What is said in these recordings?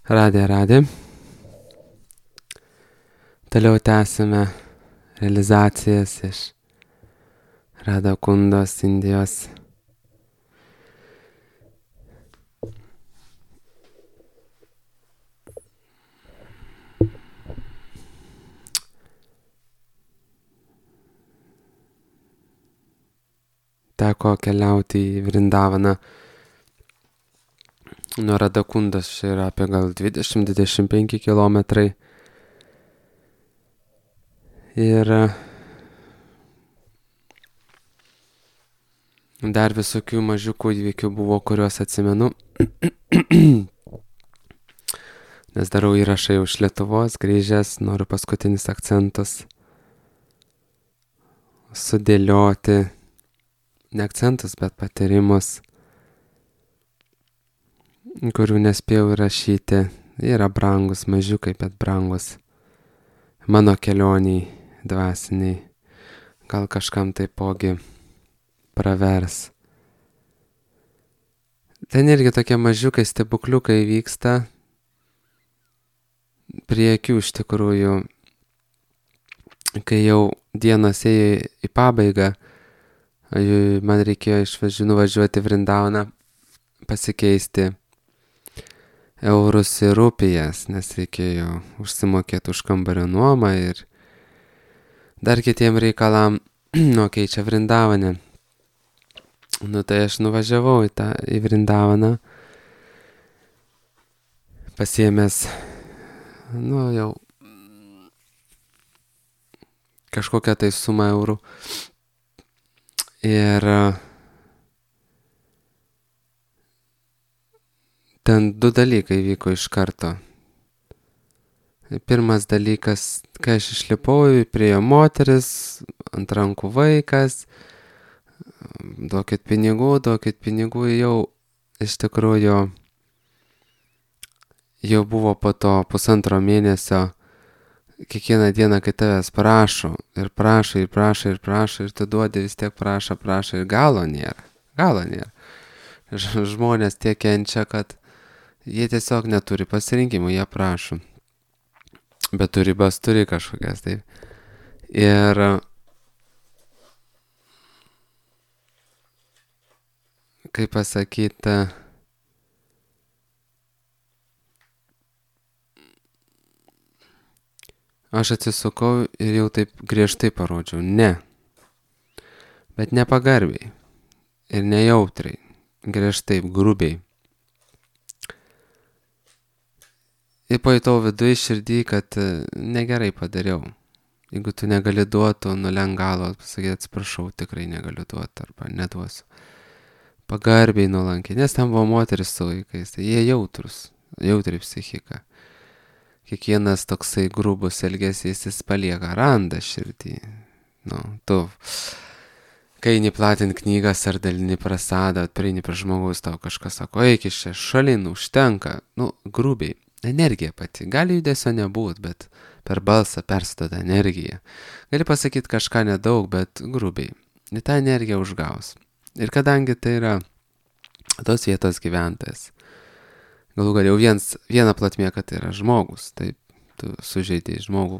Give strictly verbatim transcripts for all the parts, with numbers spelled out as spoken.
Radė, radė. Toliau tęsime realizacijas iš Radha Kundos, Indijos. Teko keliauti į Vrindavaną. Nuo Radha Kundos čia yra apie gal dvidešimt dvidešimt penki kilometrai. Ir dar visokių mažiukų įvykių buvo, kuriuos atsimenu. Nes darau įrašą jau iš Lietuvos, grįžęs, noriu paskutinis akcentus sudėlioti. Ne akcentus, bet patyrimus, kurių nespėjau įrašyti. Jie yra brangus, mažiukai, bet brangus. Mano kelioniai dvasiniai. Gal kažkam taipogi pravers. Ten irgi tokie mažiukai stebukliukai vyksta. Prie akių iš tikrųjų, kai jau dienos ėjo į pabaigą, man reikėjo išvažiuoti, nuvažiuoti Vrindavaną, pasikeisti eurus į rupijas, nes reikėjo užsimokėti už kambario nuomą ir dar kitiem reikalam, nu keičia Vrindavane. Nu tai aš nuvažiavau į tą į Vrindavaną, pasiėmęs, nu jau kažkokią tai sumą eurų. Ir ten du dalykai vyko iš karto. Pirmas dalykas, kai aš išlipau, priėjo moteris, ant rankų vaikas, duokit pinigų, duokit pinigų, jau iš tikrųjų jau buvo po to pusantro mėnesio. Kiekvieną dieną, kai tavęs prašo ir prašo ir prašo ir prašo ir tu duodi, vis tiek prašo, prašo ir galo nėra. Galo nėra. Žmonės tiek kenčia, kad jie tiesiog neturi pasirinkimų, jie prašo. Bet tu ribas turi kažkokias, taip. Ir kaip pasakyti, aš atsisukau ir jau taip griežtai parodžiau, ne. Bet nepagarbiai ir nejautriai, griežtai, grubiai. Ir pajutau viduj širdį, kad negerai padariau. Jeigu tu negali duoti, nulenk galvą, pasakyti atsiprašau, tikrai negaliu duoti arba neduosiu. Pagarbiai nuolankiai, nes ten buvo moteris su vaikais, tai jie jautrus, jautri psichika. Kiekvienas toksai grubus elgesys jis palieka randą širdį. Nu, tu, kai eini platint knygas ar dalini prasadą, prieini prie žmogaus, tau kažkas sako, eik iš čia šalin, užtenka. Nu, grubiai. Energija pati. Gali judesio nebūt, bet per balsą persiduoda energija. Gali pasakyti kažką nedaug, bet grubiai. Ir tą energiją užgaus. Ir kadangi tai yra tos vietos gyventojas, galų gal jau viens, viena platmė, kad tai yra žmogus, taip, tu sužeidėjai žmogų.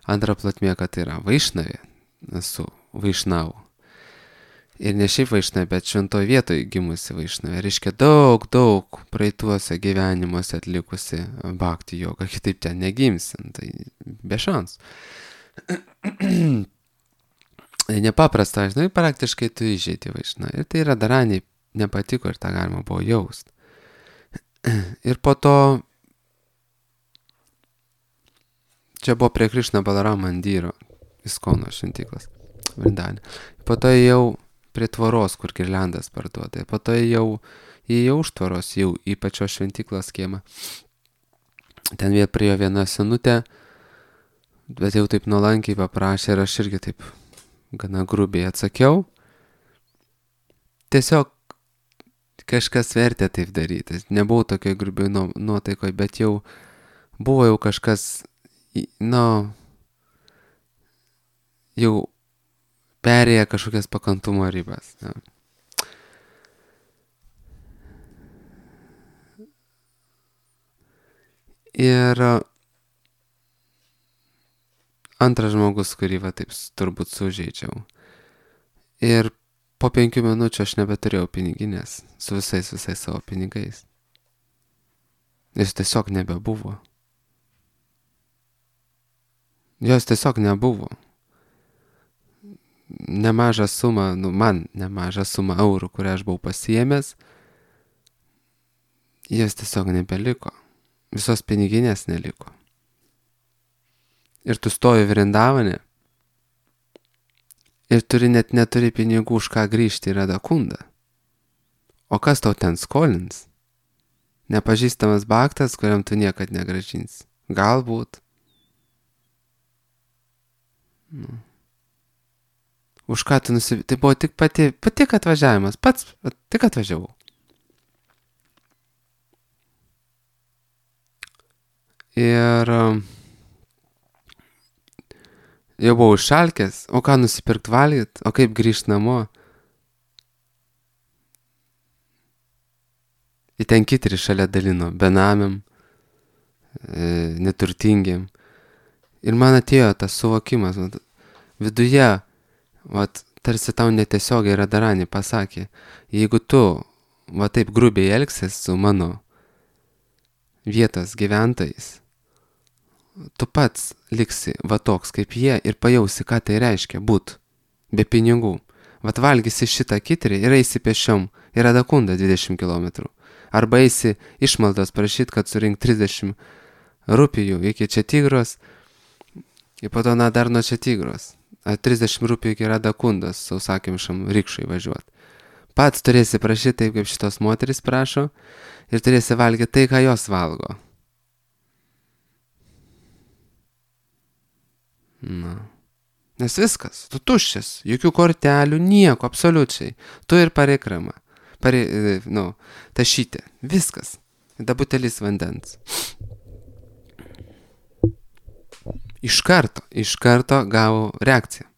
Antra platmė, kad tai yra vaišnavė, esu vaišnavų. Ir ne šiaip vaišnavė, bet šventoj vietoj gimusi vaišnavė. Reiškia daug, daug praeituose gyvenimuose atlikusi bhakti jogą, kitaip ten negimsim, tai be šansų. Tai nepaprasta, žinai, praktiškai tu įžeidži vaišnavę. Ir tai Radharaniai nepatiko ir tą galima buvo jaust. Ir po to, čia buvo prie Krišna Balaram mandyro, Iskono šventyklos, Vrindavane. Po to jau prie tvoros, kur girliandas parduoda. Po to jau įėjau už tvoros, jau į pačios šventyklos kiemą. Ten vėl priėjo viena senutė, bet jau taip nuolankiai paprašė ir aš irgi taip gana grubiai atsakiau. Tiesiog kažkas vertė taip daryti. Nebuvau tokioj grubiai nuotaikoj, bet jau buvo jau kažkas, nu, jau perėję kažkokias pakantumo ribas. Ja. Ir antras žmogus, kurį va taip turbūt sužeidžiau. Ir po penkių minučių aš nebeturėjau piniginės su visais, visais savo pinigais. Jis tiesiog nebebuvo. Jos tiesiog nebuvo. Nemažą sumą, nu man nemažą sumą eurų, kurią aš buvau pasiėmęs, jos tiesiog nebeliko. Visos piniginės neliko. Ir tu stovi Vrindavane ir turi net neturi pinigų už ką grįžti į Radakundą. O kas tau ten skolins? Nepažįstamas baktas, kuriam tu niekad negrąžinsi. Galbūt. Nu. Už ką tu nusipirkai? Tai buvo tik pati, pati atvažiavimas. Pats tik atvažiavau. Ir jau buvau išalkęs, o ką nusipirkt valgyt, o kaip grįžt namo. Į ten kitri šalia dalino, benamiam, e, neturtingiam. Ir man atėjo tas suvokimas, vat, viduje, vat, tarsi tau netiesiogiai Radharani pasakė, jeigu tu va taip grubiai elgsies su mano vietos gyventojais, tu pats liksi va toks kaip jie ir pajausi, ką tai reiškia būt be pinigų. Vat valgysi šitą kitrį ir eisi pešiom į Radakundą dvidešimt kilometrų. Arba eisi išmaldas prašyt, kad surink trisdešimt rupijų iki Četigros ir po to na dar nuo Četigros. trisdešimt rupijų iki Radakundos sausakimšam rikšai važiuot. Pats turėsi prašyti taip, kaip šitos moteris prašo ir turėsi valgyti tai, ką jos valgo. Na. Nes viskas, tu tuščias, jokių kortelių, nieko, absoliučiai. Tu ir parikrama, pari, nu, tašytė, viskas. Da butelis vandens. Iš karto, iš karto gavau reakciją.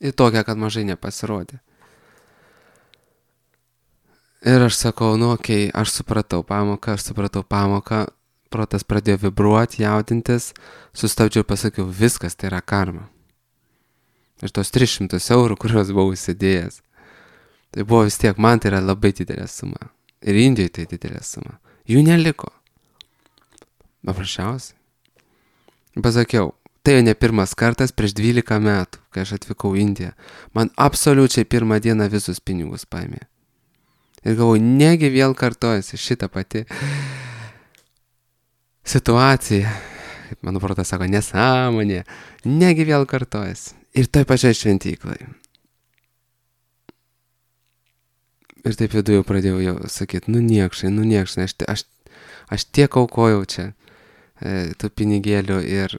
Ir tokią, kad mažai nepasirodė. Ir aš sakau, nu, okei, okay, aš supratau pamoką, aš supratau pamoką, protas pradėjo vibruoti, jaudintis, sustabdžiau ir pasakiau, viskas tai yra karma. Ir tos tris šimtus eurų, kuriuos buvau įsidėjęs, tai buvo vis tiek, man tai yra labai didelė suma. Ir Indijoje tai didelė suma. Jų neliko. Paprasčiausiai. Pasakiau, tai ne pirmas kartas prieš dvylika metų, kai aš atvykau į Indiją. Man absoliučiai pirmą dieną visus pinigus paėmė. Ir galvoju, negi vėl kartojasi šitą pati situacija. Kaip mano protas sako, nesąmonė. Negi vėl kartojasi. Ir toj pačioj šventyklai. Ir taip viduje pradėjau jau sakyti, nu niekšai, nu niekšai, aš, aš, aš tiek aukojau čia e, tų pinigėlių ir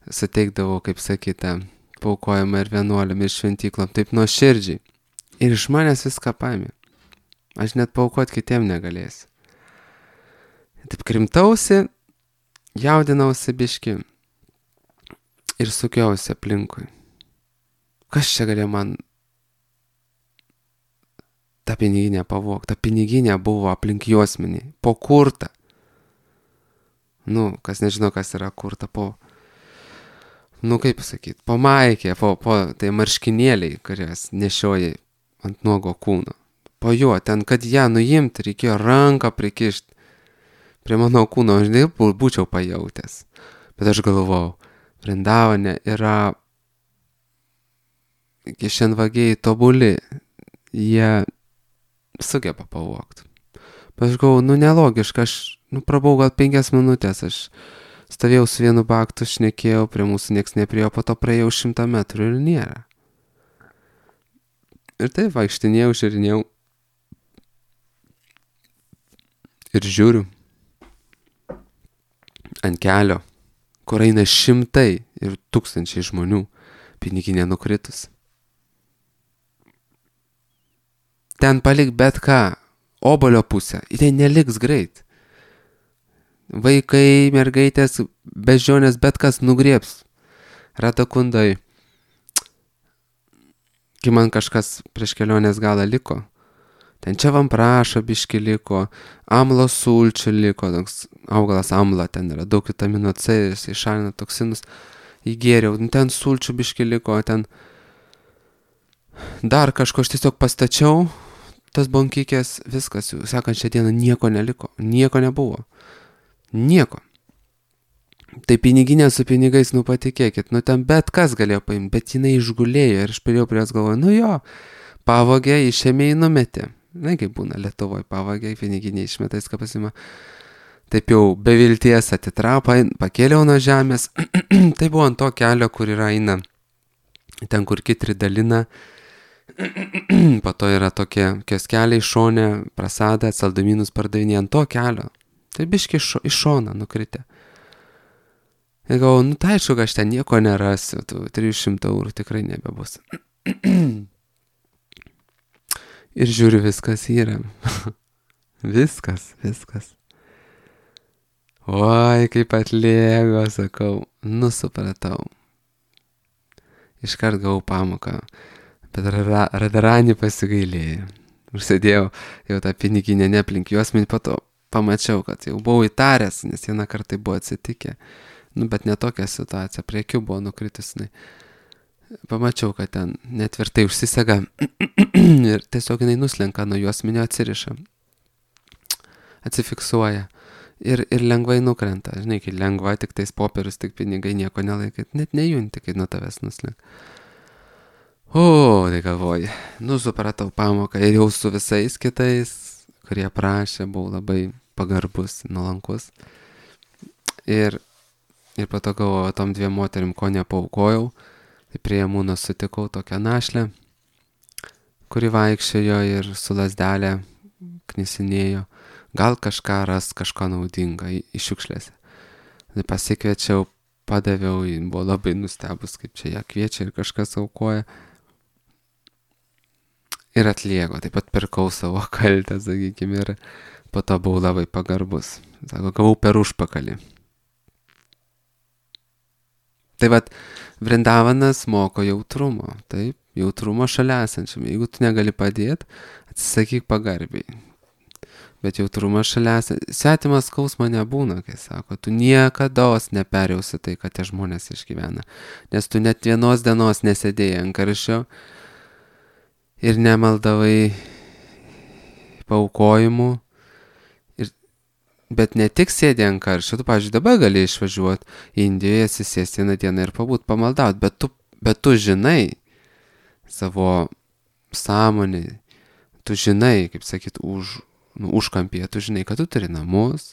suteikdavau, kaip sakyta, paaukojimą ir vienuoliam ir šventyklom, taip nuoširdžiai. Ir iš manęs viską paėmė. Aš net paaukot kitiem negalėsiu. Taip krimtausi, jaudinausi biški ir sukiausi aplinkui. Kas čia galėjo man tą piniginę pavogti? Ta piniginė buvo aplink juosmenį, po kurtą. Nu, kas nežino, kas yra kurta, po, nu kaip sakyti, po maikė, po, po tai marškinėliai, kurias nešioji ant nuogo kūno. Po juo, ten, kad ją nuimti, reikėjo ranką prikišti prie mano kūno, aš taip būčiau pajautęs. Bet aš galvojau, Vrindavane yra kišenvagiai tobuli, jie sugeba pavogti. Bet aš galvojau, nu nelogiška, aš, nu prabau gal penkias minutės, aš stovėjau su vienu baktu, šnekėjau, prie mūsų nieks nepriėjo, po to praėjau šimtą metrų ir nėra. Ir taip vaikštinėjau, žiūrinėjau ir žiūriu ant kelio, kur eina šimtai ir tūkstančiai žmonių, piniginė nukritus. Ten palik bet ką, obolio pusę, ir ten neliks greit. Vaikai, mergaitės, bežionės, bet kas nugriebs. Radakundai, kai man kažkas prieš kelionės galą liko, Ten čia vamprašo biški liko, amlo sulčių liko, toks augalas amla, ten yra daug vitamino C, jis išalina toksinus, įgėriau, ten sulčių biški liko, ten dar kažko aš tiesiog pastačiau, tas bonkikės, viskas, sekančią dieną nieko neliko, nieko nebuvo, nieko. Tai piniginė su pinigais, nu patikėkit, nu ten bet kas galėjo paimti, bet jinai išgulėjo ir aš pridėjau prie jos galvoju, nu jo, pavogė, išėmė į numetė. Na, kaip būna Lietuvoje, pavogė, piniginė išmeta, viską pasima. Taip jau be vilties atitrapa, pakėliau nuo žemės. Tai buvo ant to kelio, kur yra eina, ten kur kitri dalina. Po to yra tokie kioskeliai šone, prasada, saldumynus pardavinė ant to kelio. Tai biški iš, iš šona nukritę. Ir galvoju, nu tai aišku, aš ten nieko nerasiu, tų trijų šimtų eurų tikrai nebebus. Ir žiūriu, viskas yra. Viskas, viskas. Oi, kaip atlėgo, sakau, nu supratau. Iškart gavau pamoką, bet Radharani pasigailėjo. Užsėdėjau jau tą piniginę neaplink juosmenį, po to pamačiau, kad jau buvau įtaręs, nes vieną kartą buvo atsitikę. Nu, bet ne tokia situacija, prie akių buvo nukritus. Pamačiau, kad ten netvirtai užsisega ir tiesiog jinai nuslenka nuo juosmenio, atsiriša, atsifiksuoja ir, ir lengvai nukrenta. Žinai, kai lengva, tik tais popierius, tik pinigai, nieko nelaikyt, net nejunti, kai nuo tavęs nuslenka. O, tai galvoju, nu supratau pamoką ir jau su visais kitais, kurie prašė, buvau labai pagarbus, nuolankus. Ir Ir po to galvoju, tom dviem moterim ko nepaaukojau, tai prie Mūno sutikau tokią našlę, kuri vaikščiojo ir su lazdelė knisinėjo, gal kažką ras, kažką naudingą į šiukšlėse. Tai pasikviečiau, padaviau, buvo labai nustebus, kaip čia ją kviečia ir kažkas aukoja. Ir atliego, taip pat pirkau savo kaltę, sakykime, ir po to buvau labai pagarbus. Sako, gavau per užpakalį. Tai vat, Vrindavanas moko jautrumo, taip, jautrumo šalia esančiam. Jeigu tu negali padėti, atsisakyk pagarbiai. Bet jautrumo šalia esančiam, svetimas skausmo nebūna, kai sako, tu niekados neperjausi tai, kad tie žmonės išgyvena. Nes tu net vienos dienos nesėdėjai ant karščio ir nemaldavai paaukojimų. Bet ne tik sėdė ant karščio, tu, pavyzdžiui, dabar gali išvažiuoti į Indijoje, atsisėsti vieną dieną ir pabūt pamaldauti, bet tu, bet tu žinai savo sąmonį, tu žinai, kaip sakyt, už, nu, užkampyje, tu žinai, kad tu turi namus,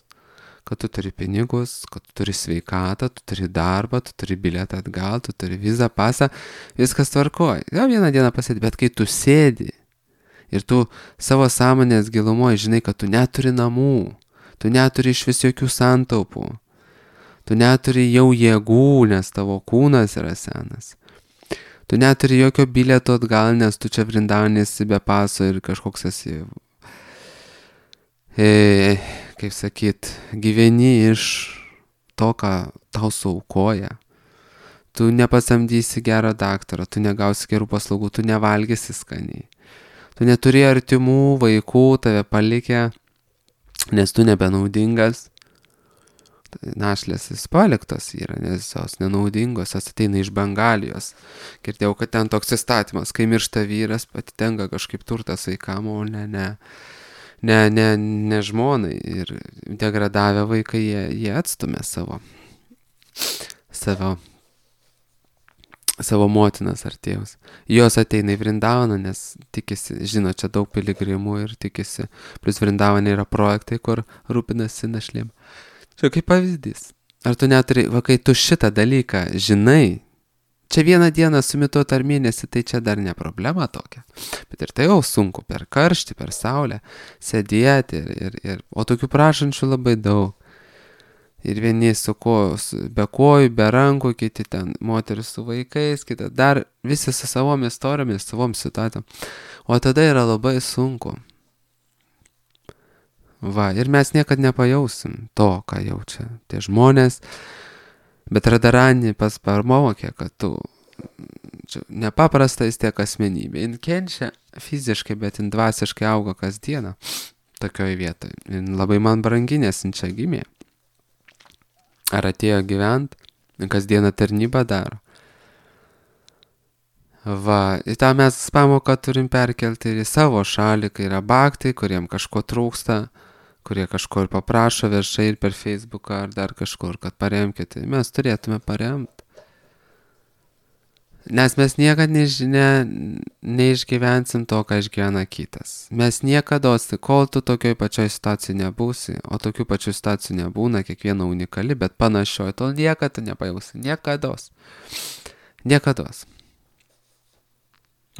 kad tu turi pinigus, kad tu turi sveikatą, tu turi darbą, tu turi bilietą atgal, tu turi vizą, pasą, viskas tvarkoja. Gal vieną dieną pasėdi, bet kai tu sėdi ir tu savo sąmonės gilumoje žinai, kad tu neturi namų, tu neturi iš vis jokių santaupų. Tu neturi jau jėgų, nes tavo kūnas yra senas. Tu neturi jokio bilieto atgal, nes tu čia Vrindavanėsi be paso ir kažkoks esi, e, kaip sakyt, gyveni iš to, ką tau suaukoja. Tu nepasamdysi gerą daktarą, tu negausi gerų paslaugų, tu nevalgysi skaniai. Tu neturi artimų vaikų, tave palikę, nes tu nebenaudingas. Našlės jis paliktos yra, nes jos nenaudingos, jos ateina iš Bengalijos. Girdėjau, kad ten toks įstatymas, kai miršta vyras, atitenka kažkaip turtas vaikam, o ne, ne, ne, ne, ne žmonai. Ir degradavę vaikai, jie, jie atstumė savo, savo, savo motinas ar tėvus. Jos ateina į Vrindavaną, nes tikisi, žino, čia daug piligrimų ir tikisi. Plus Vrindavane yra projektai, kur rūpinasi našlėm. Čia kaip pavyzdys. Ar tu neturi, va kai tu šitą dalyką žinai, čia vieną dieną sumituot ar mėnesį, tai čia dar ne problema tokia. Bet ir tai jau sunku per karštį, per saulę sėdėti ir, ir, ir, o tokių prašančių labai daug. Ir vieni su kojos, be kojų, be rankų, kiti ten moteris su vaikais, kiti dar visi su savom istorijomis, savom situacijom. O tada yra labai sunku. Va, ir mes niekad nepajausim to, ką jaučia tie žmonės. Bet Radharani pas parmokė, kad tu čia nepaprastai tiek asmenybė. Jis kenčia fiziškai, bet jin dvasiškai auga kasdieną tokioj vietoj. Jin labai man brangi, nes jin čia gimė. Ar atėjo gyvent, kasdieną tarnybą daro. Va, į tą mes pamoką turim perkelti ir į savo šalį, kai yra baktai, kuriem kažko trūksta, kurie kažko ir paprašo viešai ir per Facebooką ar dar kažkur, kad paremkite. Mes turėtume paremti. Nes mes niekad nežinia, neišgyvensim to, ką išgyvena kitas. Mes niekada, kol tu tokioj pačioj situacijai nebūsi, o tokių pačių situacijų nebūna, kiekviena unikali, bet panašioji, tol niekada nepajausi. Niekados. Niekados.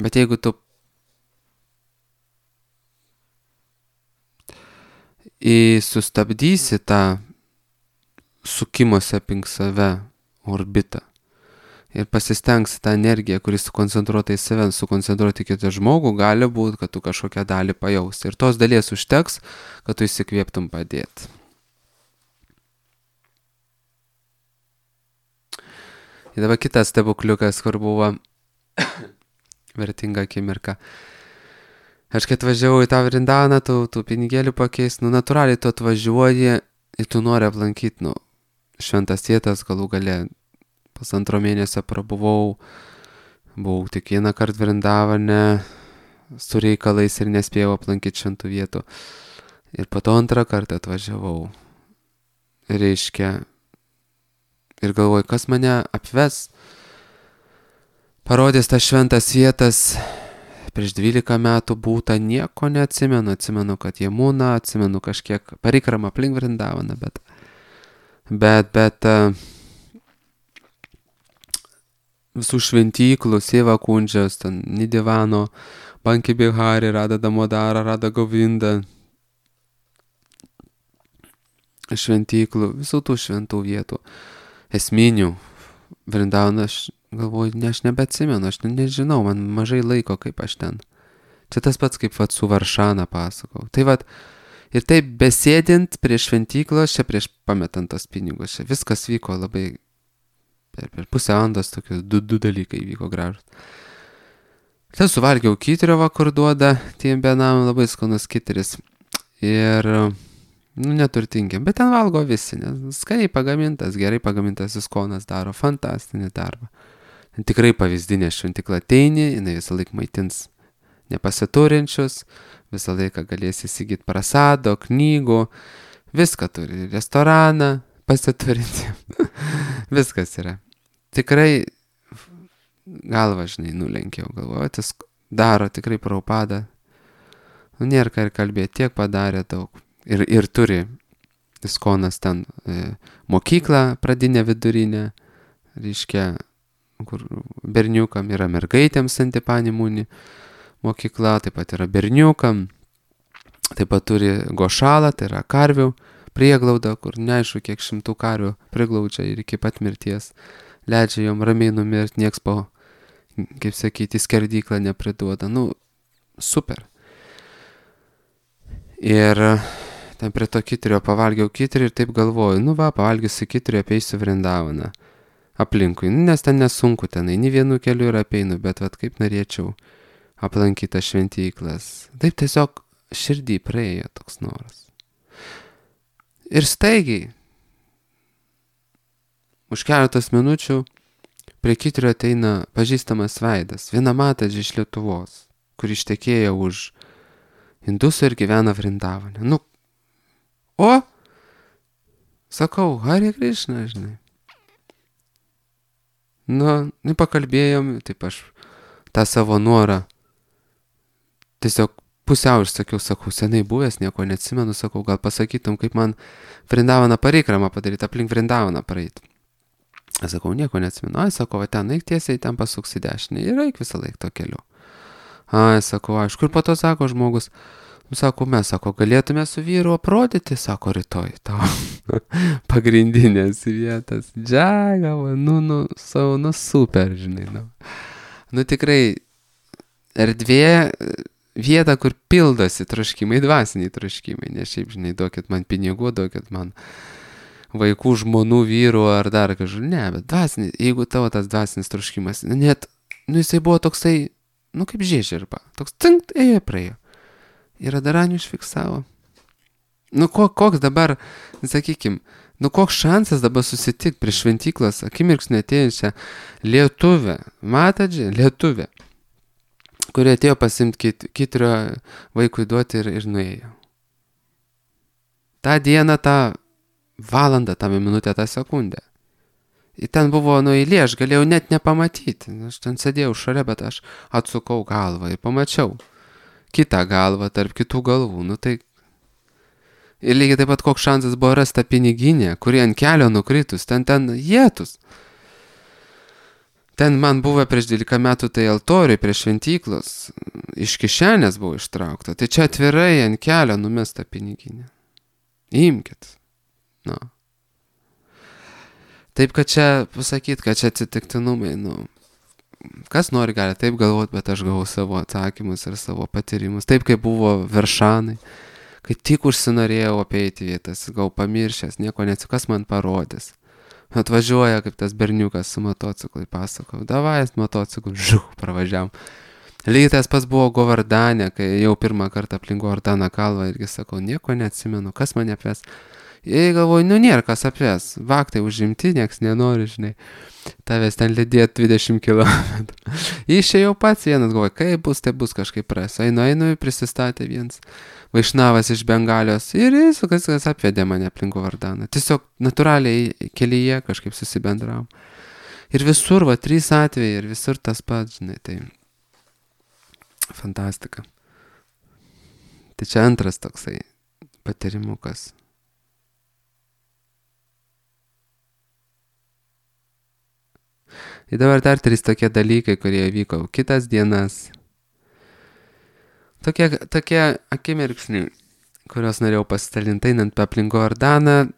Bet jeigu tu į sustabdysi tą sukimosi aplink save orbitą ir pasistengsi tą energiją, kuris sukoncentruota į save, sukoncentruoti į kitą žmogų, gali būti, kad tu kažkokią dalį pajausi. Ir tos dalies užteks, kad tu įsikvėptum padėti. Ir dabar kitas stebukliukas, kur buvo vertinga akimirka. Aš kai atvažiavau į tą Vrindaną, tu, tu pinigėlių pakeis, nu natūraliai tu atvažiuoji ir tu nori aplankyti, nu, šventas vietas, galų gale pusantro mėnesio prabuvau, buvau tik vieną kartą Vrindavane su reikalais ir nespėjau aplankyti šventų vietų. Ir po to antrą kartą atvažiavau. Reiškia, ir galvoju, kas mane apves, parodės tas šventas vietas. Prieš dvylika metų būta, nieko neatsimenu, atsimenu, kad Jamuna, atsimenu kažkiek parikramą aplink Vrindavaną, bet, bet, bet uh, visų šventyklų, Seva Kundžios, ten Nidivano, Banki Bihari, Rada Damodara, Rada Govinda, šventyklų, visų tų šventų vietų, esminių Vrindavaną, aš galvoju, ne, aš nebeatsimenu, aš nežinau, man mažai laiko, kaip aš ten. Čia tas pats, kaip vat su Varšana pasakau. Tai vat, ir taip besėdint prie šventyklos, čia prieš pametant tos pinigus, čia viskas vyko labai, per, per pusę valandos tokius du, du dalykai vyko gražus. Tai suvalgiau kitirio, va, kur duoda tiem benam, labai skanus kitiris. Ir, nu, neturtingiam, bet ten valgo visi, nes skaniai pagamintas, gerai pagamintas Iskonas daro fantastinį darbą. Tikrai pavyzdinė šventykla, ateini, jinai visą laiką maitins nepasiturinčius, visą laiką galės įsigyti prasado, knygų, viską turi, restoraną pasiturinti, viskas yra. Tikrai galvą, žinai, nulenkiau, galvoju, tas daro tikrai Prabhupada, nu, nėra ką ir kalbėti, tiek padarė daug ir, ir turi Iskonas ten e, mokyklą pradinę vidurinę, reiškia, kur berniukam yra mergaitėms Santipanimūni mokykla, taip pat yra berniukam, taip pat turi gošalą, tai yra karvių prieglauda, kur neaišku, kiek šimtų karvių priglaudžia ir iki pat mirties leidžia jom ramiai numirti, nieks po, kaip sakyti, skerdyklą nepriduoda. Nu, super. Ir ten prie to kitirio pavalgiau kitirį ir taip galvoju, nu va, pavalgysiu kitirį, apeisiu Vrindavaną aplinkui, nes ten nesunku, ten eini vienu keliu ir apeinu, bet vat kaip norėčiau aplankyti šventyklas. Taip tiesiog širdį praėjo toks noras. Ir staigiai, už keletos minučių prie kitirio ateina pažįstamas veidas, vienamatas iš Lietuvos, kur ištekėjo už indusų ir gyvena Vrindavane. Nu, o, sakau, Hare Krishna, žinai. Nu, pakalbėjom, taip aš tą savo norą tiesiog pusiau išsakiau, sakau, senai buvęs, nieko neatsimenu, sakau, gal pasakytum, kaip man Vrindavaną parikramą padaryti, aplink Vrindavaną praeiti. Aš sakau, nieko neatsimenu. Ai, sakau, va ten eik tiesiai, ten pasuksi dešinę ir eik visą laiką to keliu. Ai, sakau, aišku, ir po to sako žmogus, sako, mes, sako, galėtume su vyru aprodyti, sako, rytoj tau pagrindinės vietas. Džiagavo, nu, nu, savo, nu, super, žinai, nu. Nu, tikrai, erdvė, vieta, kur pildosi troškimai, dvasiniai troškimai, ne šiaip, žinai, duokit man pinigų, duokit man vaikų, žmonų, vyrų ar dar kažkur, ne, bet dvasiniai, jeigu tavo tas dvasinis troškimas, net, nu, jisai buvo toksai, nu kaip žiežirba. Toks cinkt, ėjo, praėjo. Ir Radarani užfiksavo. Nu ko, koks dabar, sakykim, nu koks šansas dabar susitikti prie šventyklos akimirksnį atėjusią lietuvę, matadžią, lietuvę, kuri atėjo pasimti kit, kitrio vaikui duoti ir, ir nuėjo. Ta diena, tą valandą, tą minutę, tą sekundę. Ir ten buvo nu eilė, aš galėjau net nepamatyti. Aš ten sėdėjau šalia, bet aš atsukau galvą ir pamačiau kitą galvą tarp kitų galvų. Nu tai... Ir lygiai taip pat koks šansas buvo rasta piniginė, kuri ant kelio nukritus, ten ten jėtus. Ten man buvo prieš dvylika metų tai altoriui prie šventyklos, iš kišenės buvo ištraukta. Tai čia atvirai ant kelio numesta piniginė. Imkit. Nu. Taip, kad čia pasakyt, kad čia atsitiktinumai, nu, kas nori gali taip galvoti, bet aš gavau savo atsakymus ir savo patyrimus. Taip, kaip buvo Veršanai, kai tik užsinorėjau apeiti vietas, gavau pamiršęs, nieko neatsiu, kas man parodys. Atvažiuoja kaip tas berniukas su motociklu, pasakau, davai, motociklu, žuh, pravažiavam. Lygiai tas pats buvo Govardane, kai jau pirmą kartą aplink Govardaną kalvą irgi sakau, nieko neatsimenu, kas mane apves. Jei galvoju, nu nėra kas apves, vaktai užimti, nieks nenori, žinai, tavęs ten lydėt dvidešimt kilometrų. Išėjau pats vienas, galvoju, kaip bus, tai bus kažkaip pras. Einu, einu, prisistatė vienas vaišnavas iš Bengalijos ir jis kas, kas apvedė mane aplink Govardaną. Tiesiog natūraliai kelyje kažkaip susibendravom. Ir visur, va, trys atvejai ir visur tas pats, žinai, tai fantastika. Tai čia antras toksai patyrimukas. Ir dabar dar trys tokie dalykai, kurie vyko kitas dienas. Tokie, tokie akimirksniai, kuriuos norėjau pasidalinti einant aplink Govardaną,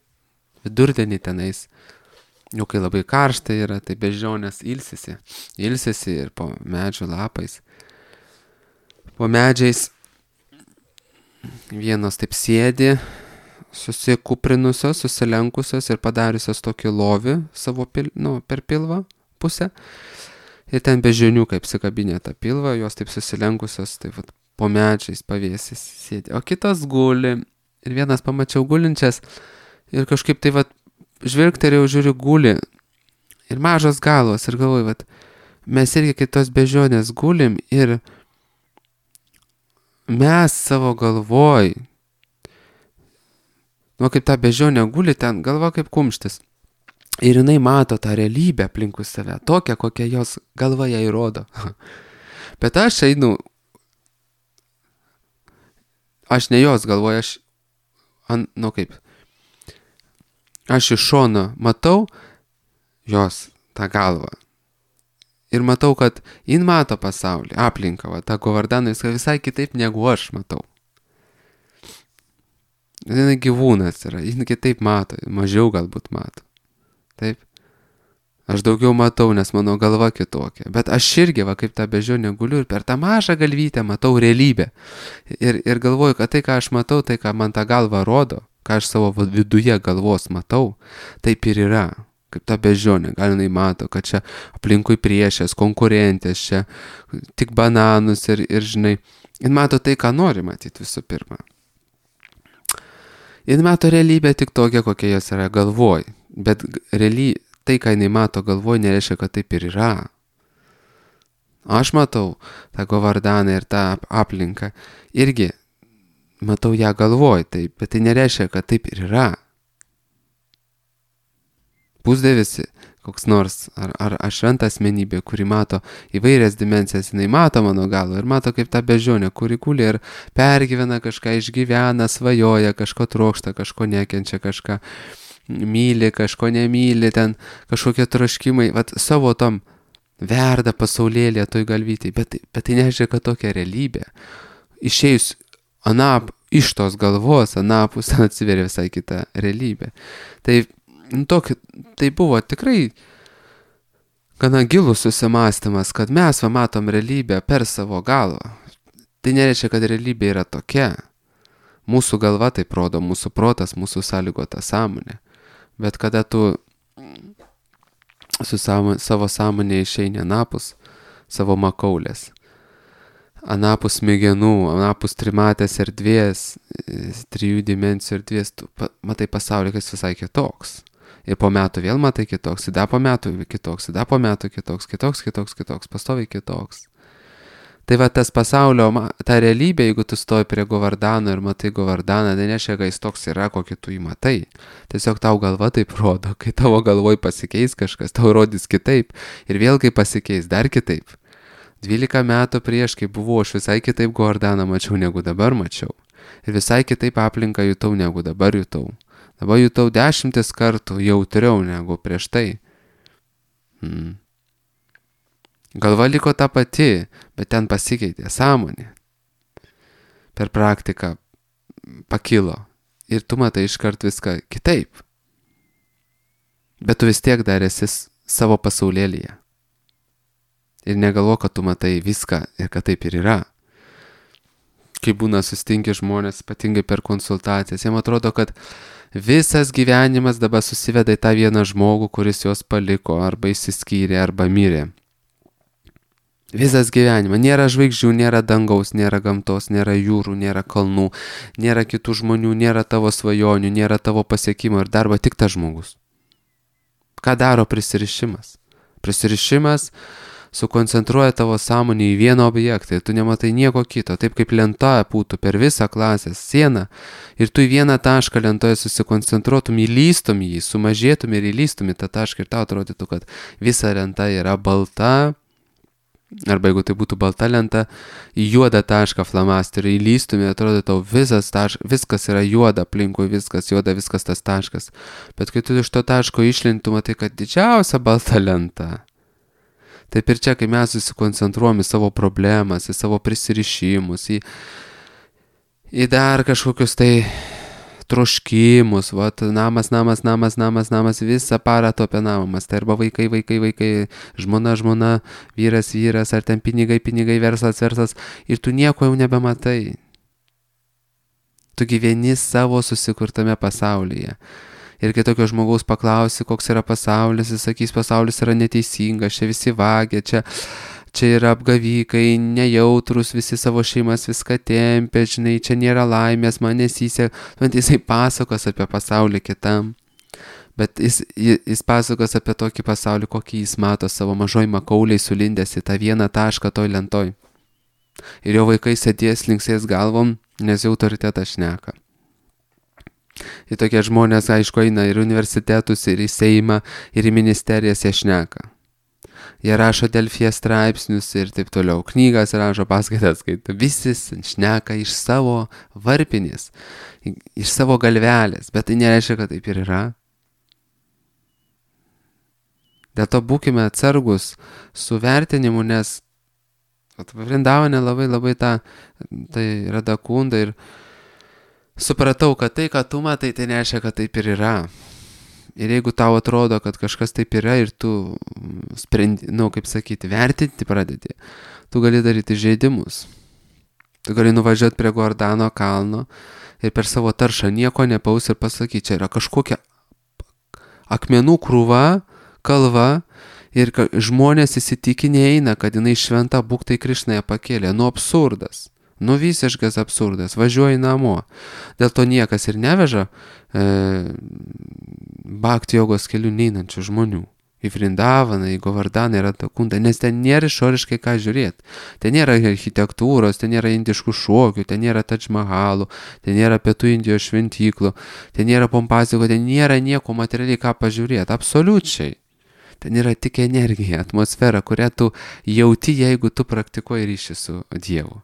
vidurdienį tenais, jau kai labai karšta yra, tai beždžionės ilsisi, ilsisi ir po medžių lapais. Po medžiais vienos taip sėdi, susikuprinusios, susilenkusios ir padariusios tokį lovį savo pil, nu, per pilvą pusę. Ir ten beždžionių kaip sikabinė tą pilvą, jos taip susilenkusios, taip vat, po medžiais pavėsis sėdi. O kitas guli ir vienas pamačiau gulinčias ir kažkaip tai vat žvilgterėjau, žiūriu guli ir mažos galvos ir galvoju, vat mes irgi kitos beždžionės gulim ir mes savo galvoj, nu kaip ta beždžionė guli ten, galva kaip kumštis. Ir jinai mato tą realybę aplinkui save, tokią, kokią jos galva jai rodo. Bet aš einu, aš ne jos galvoju, aš, an, nu kaip, aš iš šono matau jos tą galvą. Ir matau, kad jin mato pasaulį, aplinką, va, tą Govardaną visai kitaip negu aš matau. Jis gyvūnas yra, jis kitaip mato, mažiau galbūt mato. Taip. Aš daugiau matau, nes mano galva kitokia. Bet aš irgi, va, kaip tą beždžionę guliu ir per tą mažą galvytę matau realybę. Ir, ir galvoju, kad tai, ką aš matau, tai, ką man tą galvą rodo, ką aš savo viduje galvos matau, taip ir yra. Kaip ta beždžionė, gal jinai mato, kad čia aplinkui priešės, konkurentės, čia tik bananus ir, ir žinai, jin mato tai, ką nori matyti visų pirma. Jin mato realybę tik tokią, kokia jos yra galvoj, bet reali, tai, ką jinai mato galvoj, nereiškia, kad taip ir yra. Aš matau tą Govardaną ir tą aplinką, irgi matau ją galvoj, taip, bet tai nereiškia, kad taip ir yra. Pusdevisi, koks nors, ar, ar, ar šventa asmenybė, kuri mato įvairias dimensijas, jinai mato mano galvą ir mato kaip tą beždžionę, kuri kūlė ir pergyvena kažką, išgyvena, svajoja, kažko trokšta, kažko nekenčia, kažką myli, kažko nemyli, ten kažkokie troškimai, vat savo tom verda pasaulėlė toj galvytėj, bet, bet tai nežiūrė, kad tokia realybė. Išėjus anap, iš tos galvos, anapus atsiveria visai kita realybė. Tai Tokį, tai buvo tikrai gana gilus susimąstymas, kad mes va matom realybę per savo galvą. Tai nereiškia, kad realybė yra tokia. Mūsų galva taip rodo, mūsų protas, mūsų sąlygota sąmonė. Bet kada tu su savo, savo sąmonė išeini anapus savo makaulės, anapus smegenų, anapus trimatės erdvės, trijų dimensijų erdvės, tu matai pasaulį, kas visai kitoks. Ir po metų vėl matai kitoks, ir dar po metų kitoks, ir dar po metų kitoks, kitoks, kitoks, kitoks, pastoviai kitoks. Tai va tas pasaulio, ta realybė, jeigu tu stoji prie Govardano ir matai Govardaną, tai nereiškia, kad jis toks yra, kokį tu jį matai. Tiesiog tau galva taip rodo, kai tavo galvoj pasikeis kažkas, tau rodys kitaip. Ir vėl kai pasikeis, dar kitaip. dvylika metų prieš, kai buvau, aš visai kitaip Govardaną mačiau, negu dabar mačiau. Ir visai kitaip aplinką jutau, negu dabar jutau. Dabar jutau dešimtis kartų jautriau negu prieš tai. Hmm. Galva liko ta pati, bet ten pasikeitė sąmonė. Per praktiką pakilo. Ir tu matai iškart viską kitaip. Bet tu vis tiek dar esi savo pasaulėlyje. Ir negalvo, kad tu matai viską ir kad taip ir yra. Kai būna sustinki žmonės, ypatingai per konsultacijas, jiem atrodo, kad visas gyvenimas dabar susiveda į tą vieną žmogų, kuris juos paliko, arba išsiskyrė, arba mirė. Visas gyvenimas. Nėra žvaigždžių, nėra dangaus, nėra gamtos, nėra jūrų, nėra kalnų, nėra kitų žmonių, nėra tavo svajonių, nėra tavo pasiekimo ir darbo, tik tas žmogus. Ką daro prisirišimas? Prisirišimas sukoncentruoja tavo sąmonę į vieną objektą ir tu nematai nieko kito, taip kaip lenta būtų per visą klasės sieną ir tu į vieną tašką lentoje susikoncentruotum, įlystum jį, sumažėtum ir įlystum į tą tašką ir tau atrodytų, kad visa lenta yra balta, arba jeigu tai būtų balta lenta, į juodą tašką flamasteriu įlystum ir atrodo tau visas taškas, viskas yra juoda, aplinkui viskas juoda, viskas tas taškas. Bet kai tu iš to taško išlintum, matai, kad didžiausia balta lenta. Taip ir čia, kai mes susikoncentruojam į savo problemas, į savo prisirišimus, į, į dar kažkokius tai troškimus, vat, namas, namas, namas, namas, namas, visą parą to apie namas, tai arba vaikai, vaikai, vaikai, žmona, žmona, vyras, vyras, ar ten pinigai, pinigai, verslas, verslas, ir tu nieko jau nebematai. Tu gyveni savo susikurtame pasaulyje. Ir kai tokio žmogaus paklausi, koks yra pasaulis, jis sakys, pasaulis yra neteisingas, čia visi vagia, čia, čia yra apgavykai, nejautrus, visi savo šeimas viską tempia, žinai, čia nėra laimės, man nesisek. Jisai pasakos apie pasaulį kitam, bet jis, jis pasakos apie tokį pasaulį, kokį jis mato savo mažoj makauliai sulindęs į tą vieną tašką toj lentoj. Ir jo vaikai sėdės linksės galvom, nes jau autoritetas šneka. Ir tokie žmonės, aišku, eina ir universitetus, ir į Seimą, ir į ministerijas jie šneka. Jie rašo Delfyje straipsnius ir taip toliau. Knygas rašo, paskaitas skaito. Visi šneka iš savo varpinės, iš savo galvelės, bet tai nereiškia, kad taip ir yra. Dėl to būkime atsargus su vertinimu, nes Vrindavane labai labai tą, tai Radakunda ir supratau, kad tai, ką tu matai, tai nereiškia, kad taip ir yra. Ir jeigu tau atrodo, kad kažkas taip yra ir tu sprendi, nu, kaip sakyti, vertinti pradedi, tu gali daryti žaidimus. Tu gali nuvažiuoti prie Govardano kalno ir per savo taršą nieko nepaus ir pasakyti, čia yra kažkokia akmenų krūva, kalva ir žmonės įsitikinę eina, kad jinai šventa, Būk tai Krišna ją pakėlė. Nu, absurdas. Nu, visiškas absurdas, važiuoji namo. Dėl to niekas ir neveža e, bhakti jogos kelių neinančių žmonių. Į Vrindavaną, į Govardaną, į Radakundą, nes ten nėra išoriškai ką žiūrėti. Ten nėra architektūros, ten nėra indiškų šokių, ten nėra Tadž Mahalų, ten nėra Pietų Indijos šventyklų, ten nėra pompaziko, ten nėra nieko materialiai ką pažiūrėti. Absoliučiai. Ten yra tik energija, atmosfera, kurią tu jauti, jeigu tu praktikuoji ryšį su Dievu.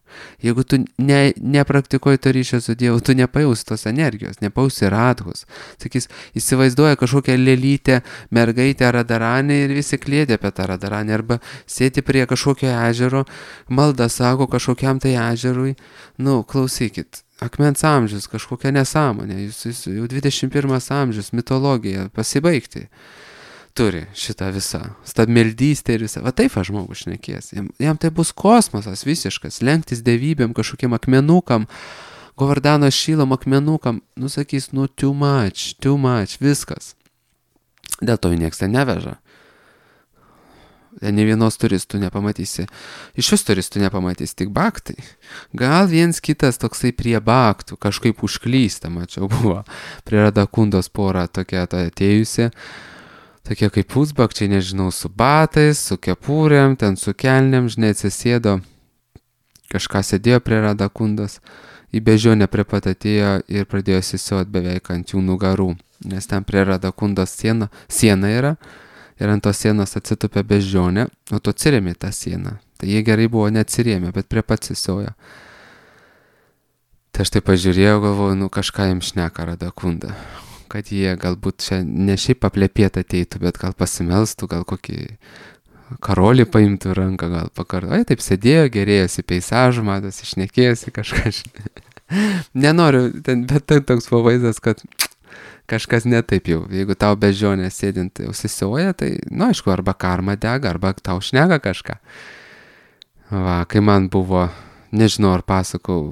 Jeigu tu ne, nepraktikuoji to ryšio su Dievu, tu nepajausi tos energijos, nepajausi radhos. Sakys, įsivaizduoja kažkokią lėlytę, mergaitę Radaranę ir visi klėdė apie tą Radaranę, arba sėti prie kažkokio ežero, maldą sako kažkokiam tai ežerui. Nu, klausykit, akmens amžius, kažkokia nesąmonė, jūs, jūs jau dvidešimt pirmas amžius, mitologija, pasibaigti. Turi šitą visą stabmeldystę ir visą. Va taip aš žmogus šnekės. Jam, jam tai bus kosmosas visiškas, lenktis dievybėm, kažkokiem akmenukam, Govardano šylom akmenukam. Nu sakys, nu too much, too much, viskas. Dėl to nieks ten neveža. Ne vienos turistų nepamatysi. Iš vis turistų nepamatysi, tik baktai. Gal viens kitas toksai prie baktų, kažkaip užklysta, mačiau, buvo. Prie Radakundos pora tokia ta atėjusi. Tokie kaip pusbakčiai, nežinau, su batais, su kepurėm, ten su kelnėm, žinai, atsisėdo. Kažką sėdėjo prie Radakundos. Į bežionę prie pat atėjo ir pradėjo sisiot beveik ant jų nugarų. Nes ten prie Radakundos siena, siena yra. Ir ant tos sienos atsitupė bežionė, o tu atsirėmė tą sieną. Tai jie gerai buvo neatsirėmė, bet prie pat sisiojo. Tai aš tai pažiūrėjau, galvoju, nu kažką jiems šneka Radakunda. Kad jie galbūt čia ne šiaip paplėpėt ateitų, bet gal pasimelstų, gal kokį karolį paimtų ranką, gal pakartų. Ai, taip sėdėjo, gerėjosi peisažų, matosi, šnekėjosi kažką. Nenoriu, ten, bet tai toks pavaizdas, kad kažkas netaip jau. Jeigu tau bežionė sėdint užsisioja, tai, nu, aišku, arba karma dega, arba tau šneka kažką. Va, kai man buvo, nežinau, ar pasakau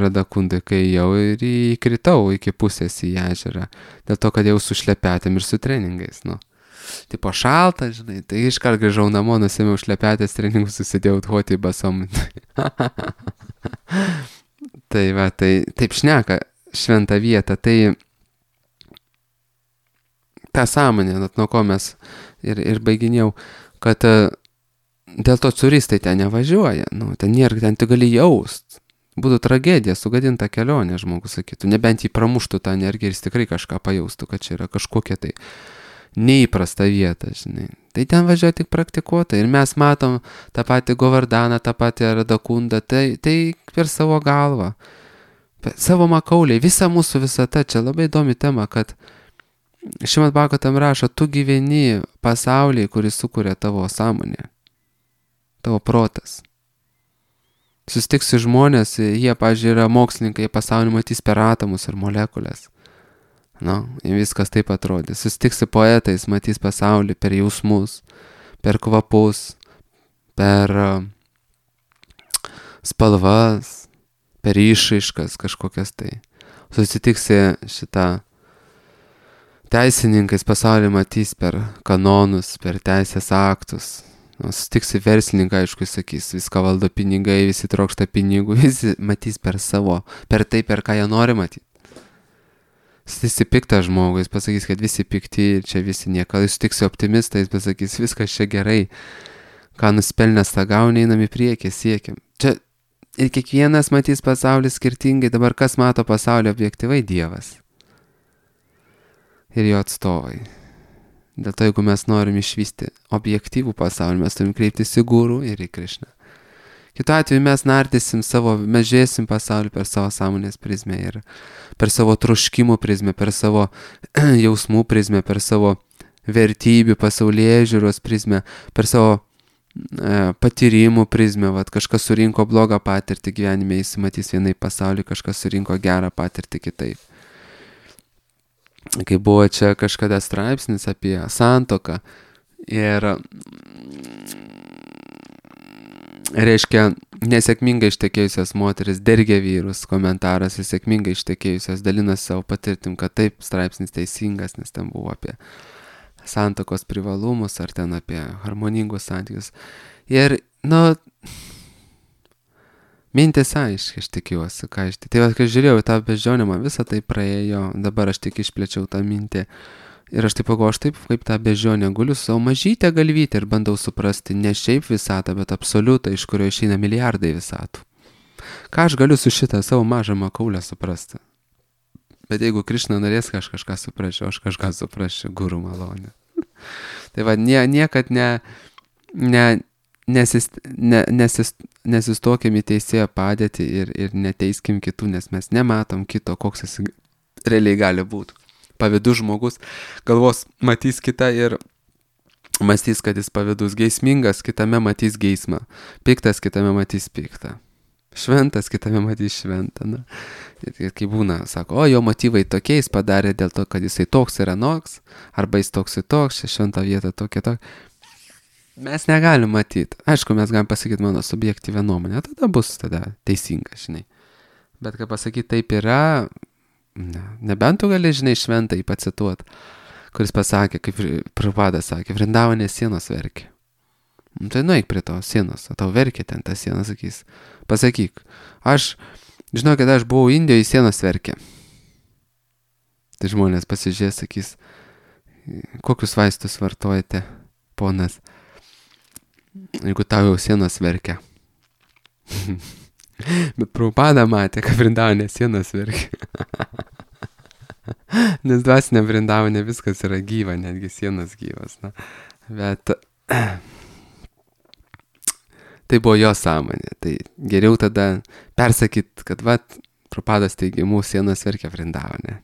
Radakundai, kai jau ir įkritau iki pusės į ežerą. Dėl to, kad jau su šlepetėm ir su treningais, nu. Tipo šalta, žinai, tai iškart grįžau namo, nusėmiau šlepetės treningus, susidėjau tvoti į basom. Tai va, tai taip šneka šventą vietą, tai tą sąmonę, nuo ko mes ir, ir baiginėjau, kad dėl to turistai ten nevažiuoja, nu, ten nėra, ten tu gali jaust. Būtų tragedija, sugadinta kelionė, žmogus sakytų, nebent jį pramuštų tą energiją ir jis tikrai kažką pajaustų, kad čia yra kažkokia tai neįprasta vieta, žinai. Tai ten važiuoja tik praktikuotojai ir mes matom tą patį Govardaną, tą patį Radakundą, tai, tai per savo galvą, per savo makauliai, visa mūsų visata, čia labai įdomi tema, kad Šrimad Bhagavatam rašo, tu gyveni pasaulyje, kuris sukuria tavo sąmonę, tavo protas. Susitiksi žmonės, jie, pavyzdžiui, yra mokslininkai, jie pasaulį matys per atomus ir molekulės. Nu, viskas taip atrodė. Susitiksi poetais, matys pasaulį per jausmus, per kvapus, per uh, spalvas, per išraiškas kažkokias tai. Susitiksi šitą teisininkais pasaulį matys per kanonus, per teisės aktus. Nu, susitiksi verslininką, aišku, sakys, viską valdo pinigai, visi trokšta pinigų, visi matys per savo, per tai, per ką jie nori matyti. Susitiksi piktą žmogų, jis pasakys, kad visi pikti ir čia visi nieko. Jis sutiksi optimistą, jis pasakys, viskas čia gerai, ką nuspelnęs tą gauni, einam į priekį, siekiam. Čia ir kiekvienas matys pasaulį skirtingai, dabar kas mato pasaulį objektyvai? Dievas. Ir jo atstovai. Dėl to, jeigu mes norim išvysti objektyvų pasaulį, mes turim kreiptis į gurų ir į Krišną. Kitu atveju mes nardysim savo, mes žiūrėsim pasaulį per savo sąmonės prizmę ir per savo troškimų prizmę, per savo jausmų prizmę, per savo vertybių, pasaulėžiūros prizmę, per savo e, patyrimų prizmę. Vat, kažkas surinko blogą patirtį gyvenime, jis matys vienai pasaulį, kažkas surinko gerą patirtį kitaip. Kai buvo čia kažkada straipsnis apie santuoką ir reiškia nesėkmingai ištekėjusios moteris dergia vyrus, komentaras ir sėkmingai ištekėjusios dalinas savo patirtim, kad taip straipsnis teisingas, nes ten buvo apie santuokos privalumus ar ten apie harmoningus santykius. Ir, nu, mintis aiškiai, aš tikiuosi, ką aš tikiuosi. Tai va, kai žiūrėjau tą beždžionę, man visą tai praėjo, dabar aš tik išplėčiau tą mintį. Ir aš taip pagalvoju, aš taip kaip tą beždžionę guliu savo mažytę galvytę ir bandau suprasti ne šiaip visatą, bet absoliutą, iš kurio išeina milijardai visatų. Ką aš galiu su šitą savo mažą makaulę suprasti? Bet jeigu Krišna norės, aš kažką suprasčiau, aš kažką suprasčiau, guru malonė. Tai va, nie, niekad ne, ne, nesist, ne, nesist, nesistokim į teisėjo padėtį ir, ir neteiskim kitų, nes mes nematom kito, koks jis realiai gali būti. Pavydus žmogus galvos matys kitą ir mąstys, kad jis pavydus, geismingas, kitame matys geismą, piktas, kitame matys piktą, šventas, kitame matys šventą. Na. Ir, ir kai būna, sako, o jo motyvai tokie, jis padarė dėl to, kad jisai toks yra noks, arba jis toks ir toks, šventa vieta tokia tokia. Mes negalim matyti. Aišku, mes galim pasakyti mano subjektyvę nuomonę, tada bus tada teisinga, žinai. Bet kai pasakyti taip yra, ne, nebent tu gali, žinai, šventą jį pacituot, kuris pasakė, kaip Prabhupada sakė, Vrindavanės sienos verkė. Nu, tai nueik prie tos sienos, o tau verkia ten ta siena, sakys. Pasakyk, aš, žinokit, aš buvau Indijoje, sienos verkia. Tai žmonės pasižiūrės, sakys, kokius vaistus vartojate, ponas, jeigu tau jau sienos verkia. Bet Prabhupada matė, kad Vrindavane sienos verkia. Nes dvasinė Vrindavane viskas yra gyva, netgi sienos gyvas. Na. Bet tai buvo jo sąmonė. Tai geriau tada persakyt, kad vat, Prabhupados teigimu sienos verkia Vrindavane.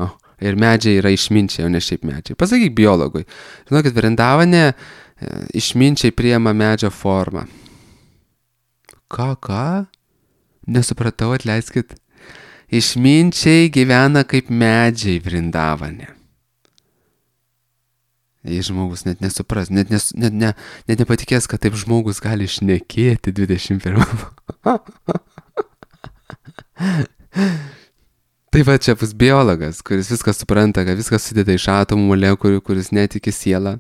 O, ir medžiai yra išminčiai, o ne šiaip medžiai. Pasakyk biologui. Žinokit, Vrindavane išminčiai priema medžio formą. Ką, ką? Nesupratau, atleiskit. Išminčiai gyvena kaip medžiai Vrindavane. Jei žmogus net nesupras, net, nes, net, ne, net nepatikės, kad taip žmogus gali šnekėti dvidešimt pirmame. Tai va čia bus biologas, kuris viską supranta, kad viskas sudeda iš atomų molekulių, kuris netiki sielą,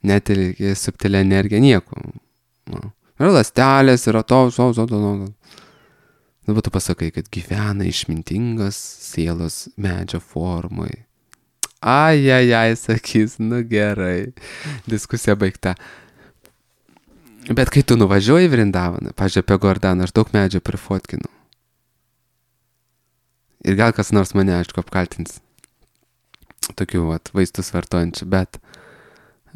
netiki subtilę energiją, nieko. Yra ląstelės, yra to, to, to, to, to. Dabar tu pasakai, kad gyvena išmintingas sielos medžio formui. Ai, ai, ai, sakys, nu gerai, diskusija baigta. Bet kai tu nuvažiuoji į Vrindavaną, pažiūrėjau, apie Gordaną, aš daug medžio prifotkinu. Ir gal kas nors mane, aišku, apkaltins tokių vat, vaistus vartojančių, bet,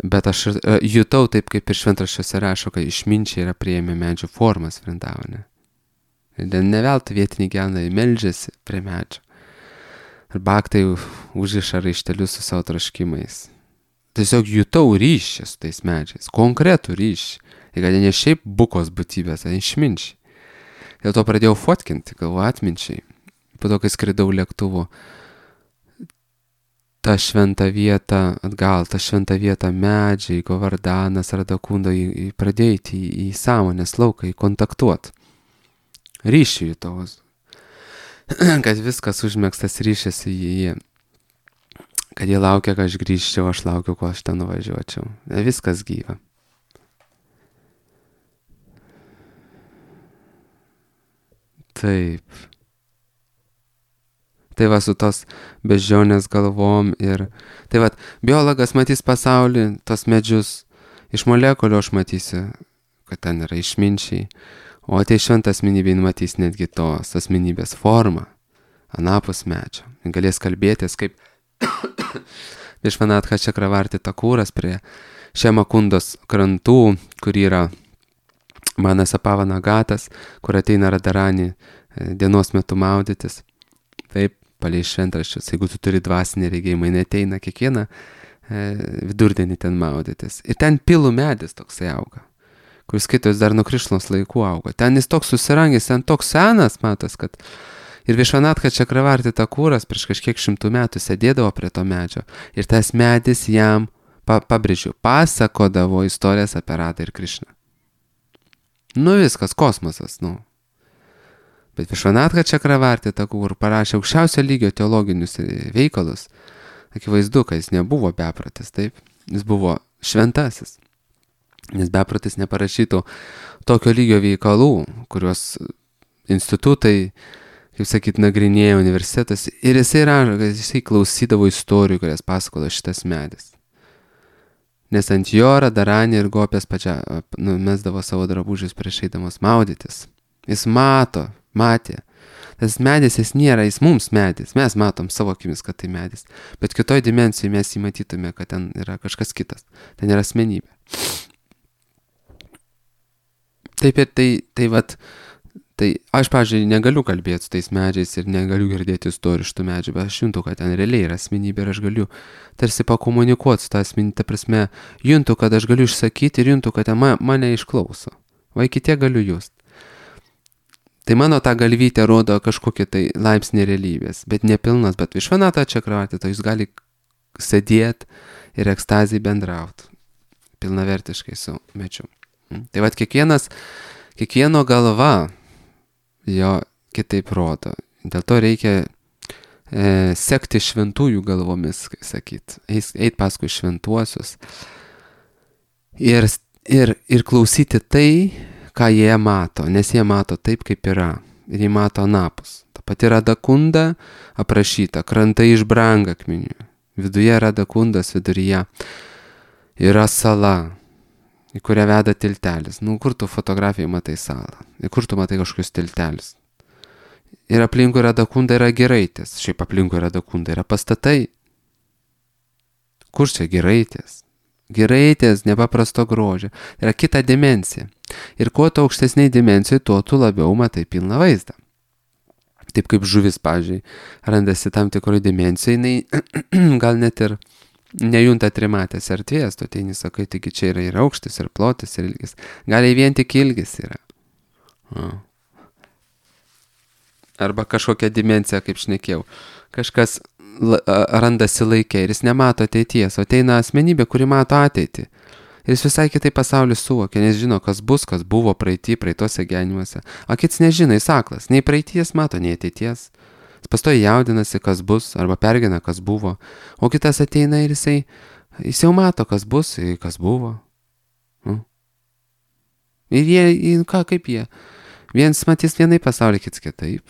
bet aš uh, jutau taip, kaip ir šventraščiuose rašo, kad išminčiai yra priėmę medžio formas Vrindavane. Ir ne veltui vietiniai gyventojai meldžiasi prie medžio. Ir baktai užriša raištelius su savo troškimais. Tiesiog jutau ryšį su tais medžiais, konkretų ryšį. Ir kad ne šiaip bukos būtybės, o išminčiai. Dėl to pradėjau fotkinti, galvo atminčiai. Po to, kai skridau lėktuvu, ta šventa vieta, atgal, ta šventa vieta medžiai, Govardanas, Radakunda, pradėti į, į sąmonės lauką, į kontaktuot. Ryšį jutau, kad viskas užmėgstas ryšys į jį, kad jie laukia, kad aš grįžčiau, aš laukiu, kol aš ten nuvažiuočiau. Viskas gyva. Taip. Tai va su tos beždžionės galvom ir... Tai va, biologas matys pasaulį, tos medžius, iš molekulių aš matysiu, kad ten yra išminčiai, o tai šventą asmenybę matys netgi tos asmenybės formą, anapus medžio. Galės kalbėtis kaip Višvanatha Čakravarti Takūras prie Šemakundos krantų, kur yra Manasapavana Gatas, kur ateina Radarani dienos metu maudytis. Taip, palei šventraščius, jeigu tu turi dvasinį regėjimą, neteina kiekvieną e, vidurdienį ten maudytis. Ir ten pilų medis toksai auga, kuris skaitos dar nuo Krišnos laikų auga. Ten jis toks susirangęs, ten toks senas, matos, kad ir Višvanatha Čakravarti Takūras prieš kažkiek šimtų metų sėdėdavo prie to medžio. Ir tas medis jam, pa, pabrėžiu, pasakodavo istorijas apie Radą ir Krišną. Nu viskas, kosmosas, nu. Bet Višvanatha Čakravarti Takūra parašė aukščiausio lygio teologinius veikalus. Akivaizdu, kad jis nebuvo bepratis, taip? Jis buvo šventasis. Nes bepratis neparašytų tokio lygio veikalų, kuriuos institutai, kaip sakyt, nagrinėjo universitetas. Ir jisai rašo, kad jisai klausydavo istorijų, kurias pasakojo šitas medis. Nes ant jo Radarani ir Gopės pačia numesdavo savo drabužius prieš eidamas maudytis. Jis mato, matė. Tas medis, jis nėra, jis mums medis. Mes matom savo akimis, kad tai medis. Bet kitoj dimensijai mes jį matytume, kad ten yra kažkas kitas. Ten yra asmenybė. Taip ir tai, tai vat, tai aš, pavyzdžiui, negaliu kalbėti su tais medžiais ir negaliu girdėti istorijų iš tų medžių, bet aš juntu, kad ten realiai yra asmenybė ir aš galiu tarsi pakomunikuoti su tą asmenybę, ta prasme, juntu, kad aš galiu išsakyti ir juntu, kad ma, mane išklauso. Va iki tiek galiu just. Tai mano ta galvytė rodo kažkokį tai laipsnį realybės, bet nepilnas, bet Višvanatha Čakravarti, tai jūs gali sėdėti ir ekstazijai bendrauti pilnavertiškai su medžiu. Tai vat kiekvienas, kiekvieno galva jo kitaip rodo. Dėl to reikia e, sekti šventųjų galvomis, kaip sakyt, eit paskui šventuosius ir, Ir, ir klausyti tai, ką jie mato, nes jie mato taip, kaip yra. Ir jie mato anapus. Ta pati Radakunda aprašyta, krantai iš brangakmenių. Viduje Radakundas, viduryje yra sala, į kurią veda tiltelis. Nu, kur tu fotografijai matai salą? Ir kur tu matai kažkokius tiltelis? Ir aplinkui Radakunda yra Giraitės. Šiaip aplinkui Radakunda yra pastatai. Kur čia Giraitės? Giraitės nepaprasto grožio. Yra kita dimensija. Ir kuo tu aukštesniai dimensijai, tuo tu labiau matai pilną vaizdą. Taip kaip žuvis, pavyzdžiui, randasi tam tikroje dimensijoje, jinai gal net ir nejunta trimatės erdvės, tu ateini sakai, taigi čia yra ir aukštis, ir plotis, ir ilgis. Gal vien tik ilgis yra. O. Arba kažkokia dimensija, kaip šnekėjau. Kažkas randasi laikė ir jis nemato ateities, o ateina asmenybė, kuri mato ateitį. Ir jis visai kitai pasaulį suvokia, nes žino, kas bus, kas buvo praeitį, praeitose gyvenimuose. O kits nežino, jis aklas, nei praeities mato, nei ateities. Jis pastoji jaudinasi, kas bus, arba pergina, kas buvo. O kitas ateina ir jisai, jis jau mato, kas bus, kas buvo. Nu. Ir jie, ką, kaip jie? Vienas matys vienai pasaulį, kits kitaip.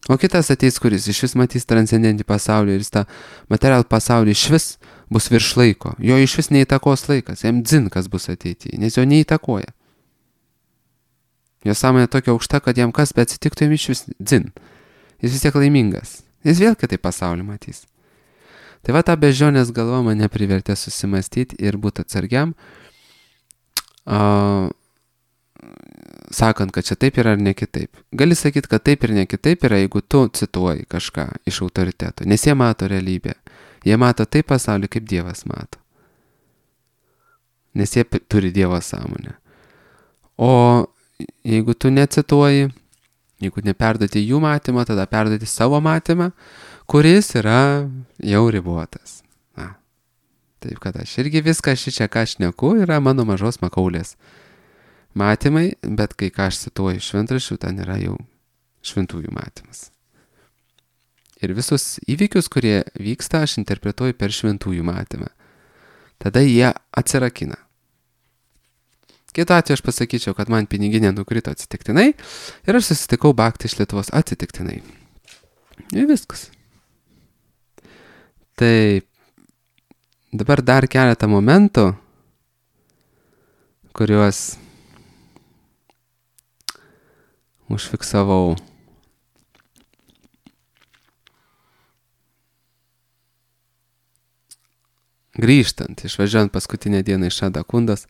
O kitas ateis, kuris iš vis matys transcendentį pasaulį ir jis tą materialų pasaulį iš vis bus virš laiko. Jo iš vis neįtakos laikas, jam dzin, kas bus ateityje, nes jo neįtakoja. Jo sąmonė tokia aukšta, kad jam kas bet atsitiktų, jam iš vis dzin. Jis vis tiek laimingas. Jis vėl kitai pasaulį matys. Tai va, ta bežionės galva mane privertė susimastyti ir būti atsargiam, uh, sakant, kad čia taip yra ar ne kitaip. Gali sakyti, kad taip ir ne kitaip yra, jeigu tu cituoji kažką iš autoriteto, nes jie mato realybę. Jie mato taip pasaulį, kaip Dievas mato. Nes jie turi Dievo sąmonę. O jeigu tu necituoji, jeigu neperduoti jų matymą, tada perduoti savo matymą, kuris yra jau ribotas. Na, taip, kad aš irgi viską šičia, ką aš šneku, yra mano mažos makaulės matymai, bet kai ką aš cituoju šventraščių, ten yra jau šventųjų matymas. Ir visus įvykius, kurie vyksta, aš interpretuoju per šventųjų matymą. Tada jie atsirakina. Kitu atveju aš pasakyčiau, kad man piniginė nukrito atsitiktinai ir aš susitikau Baktį iš Lietuvos atsitiktinai. Ir viskas. Tai dabar dar keletą momentų, kuriuos užfiksavau. Grįžtant, išvažiuojant paskutinę dieną iš Radakundos.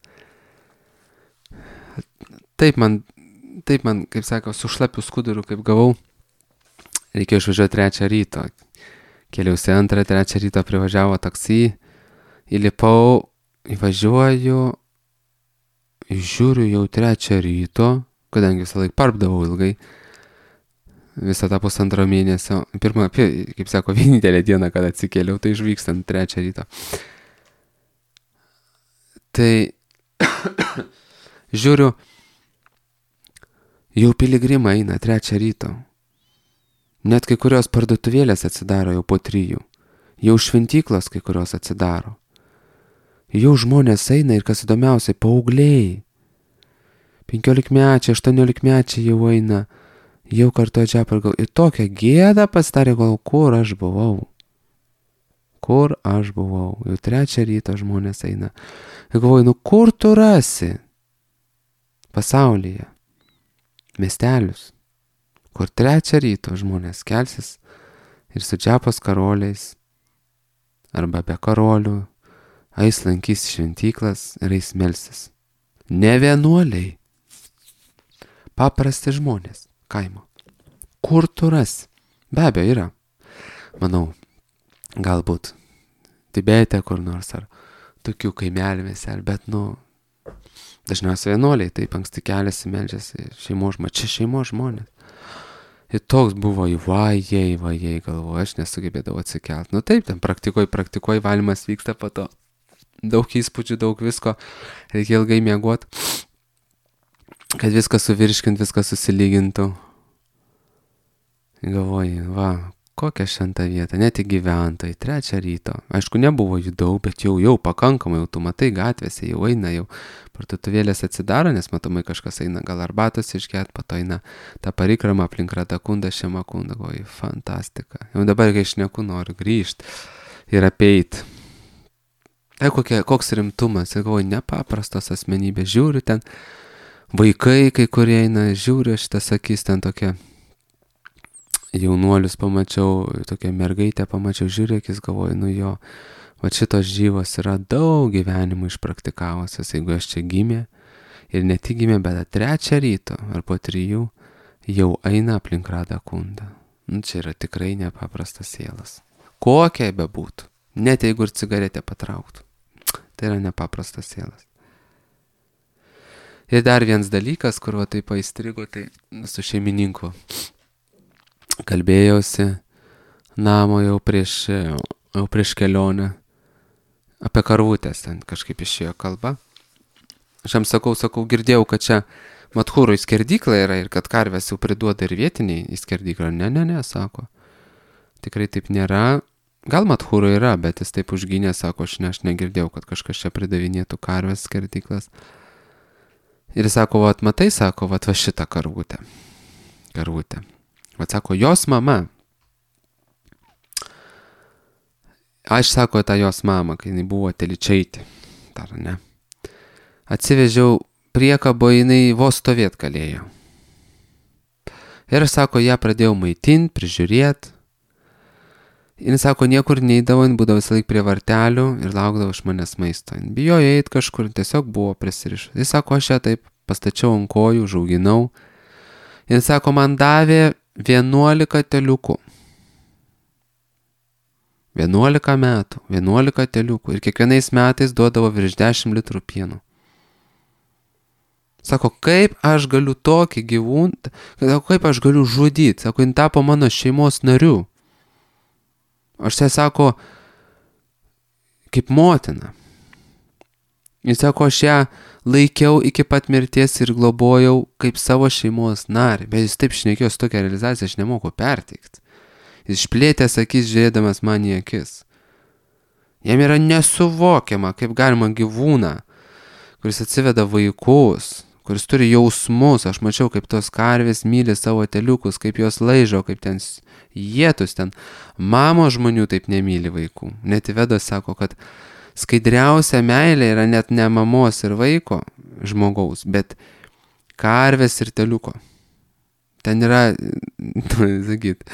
Taip man, taip man, kaip sako, su šlapiu skuduru, kaip gavau, reikėjo išvažiuoti trečią ryto. Keliausi antrą, trečią ryto privažiavo taksi, įlipau, įvažiuoju, žiūriu jau trečią ryto, kadangi visą laik parpdavau ilgai, visą tą pusantro mėnesio. Pirmą, kaip sako, vienintelę dieną, kad atsikėliau, tai išvykstant trečią ryto. Tai žiūriu, jau piligrimai eina trečią ryto. Net kai kurios parduotuvėlės atsidaro jau po trijų. Jau šventyklos kai kurios atsidaro. Jau žmonės eina ir kas įdomiausiai, paaugliai. Penkiolikmečiai, aštuoniolikmečiai jau eina, jau kartuoja džepą ir gal. Ir tokia gėda pasidarė, gal kur aš buvau. Kur aš buvau. Jau trečią ryto žmonės eina. Ir galvoju, nu kur tu rasi pasaulyje miestelius, kur trečią ryto žmonės kelsis ir su džepos karoliais arba be karolių eis lankys šventyklas ir eis melsis. Ne vienuoliai. Paprasti žmonės, kaimo. Kur tu rasi? Be abejo yra. Manau, galbūt Tibete kur nors ar tokių kaimelėse, bet nu, dažniausiai vienuoliai taip anksti keliasi, meldžiasi šeimos žmonės. Čia šeimos žmonės. Ir toks buvo į vajai, vajai, galvoju, aš nesugebėdavau atsikelt. Nu taip, ten praktikuoj, praktikuoj, valymas vyksta po to. Daug įspūdžių, daug visko, reikia ilgai miegot, kad viską suvirškint, viską susilygintų. Galvoju, va, kokia šventa vieta, net į gyventojai, trečią ryto. Aišku, nebuvo jų daug, bet jau, jau pakankamai, jau tu matai gatvėse, jau eina, jau parduotuvėlės atsidaro, nes matomai kažkas eina gal arbatos išgert, po to eina tą parikrama aplink Ratakundą, Šemakundą, oi, fantastika. Jau dabar, kai šneku, noriu grįžti ir apeit. Tai kokie, koks rimtumas, ir galvoju, nepaprastos asmenybės, žiūriu ten, vaikai, kai kurie eina, žiūriu šitas akis, ten tokia jaunuolius pamačiau, tokią mergaitę pamačiau, žiūrėkis, galvoju, nu jo, va šitos žyvos yra daug gyvenimų išpraktikavusios, jeigu aš čia gimė, ir ne tik gimė, bet trečią ryto, ar po trijų, jau eina aplink Ratakundą. Nu, čia yra tikrai nepaprastas sielas. Kokia bebūtų, net jeigu ir cigaretę patrauktų. Tai yra nepaprastas sielas. Ir dar vienas dalykas, kur va taip įstrigo, tai su šeimininku kalbėjausi namo jau prieš, jau prieš kelionę apie karvutės, ten kažkaip išėjo kalba. Aš jam sakau, sakau, girdėjau, kad čia Madhūroj skerdykla yra ir kad karvės jau priduoda ir vietiniai į skerdyklą. Ne, ne, ne, sako. Tikrai taip nėra. Gal Madhūroj yra, bet jis taip užgynė, sako, aš, ne, aš negirdėjau, kad kažkas čia pridavinėtų karvės skerdyklas. Ir jis sako, vat matai, sako, vat va šitą karvutę. Karvutę. Vat sako, jos mama. Aš sako, tą jos mamą, kai jinai buvo Telyčaitė. Dar ne. Atsivežiau priekabo, jinai vos stovėt galėjo. Ir sako, ją pradėjau maitinti, prižiūrėti. Jis sako, niekur neidavo, jin būdavo visą laik prie vartelių ir laukdavo iš manęs maisto. Jin bijojo eit kažkur, tiesiog buvo prisirišus. Jis sako, aš ją taip pastačiau ant kojų, užauginau. Jis sako, man davė vienuolika teliukų. vienuolika metų, vienuolika teliukų. Ir kiekvienais metais duodavo virš dešimt litrų pieno. Sako, kaip aš galiu tokį gyvūną, kaip aš galiu žudyti. Sako, jin tapo mano šeimos nariu. Aš tai sako, kaip motina. Jis sako, aš ją laikiau iki pat mirties ir globojau kaip savo šeimos narį. Bet jis taip šnekėjo su tokia realizacija, aš nemoku perteikti. Jis išplėtęs akis žiūrėdamas man į akis. Jam yra nesuvokiama, kaip galima gyvūną, kuris atsiveda vaikus, kuris turi jausmus. Aš mačiau, kaip tos karvės myli savo teliukus, kaip jos laižo, kaip ten jėtus ten. Mamo žmonių taip nemyli vaikų. Net Vedas sako, kad skaidriausia meilė yra net ne mamos ir vaiko žmogaus, bet karvės ir teliuko. Ten yra, sakyt,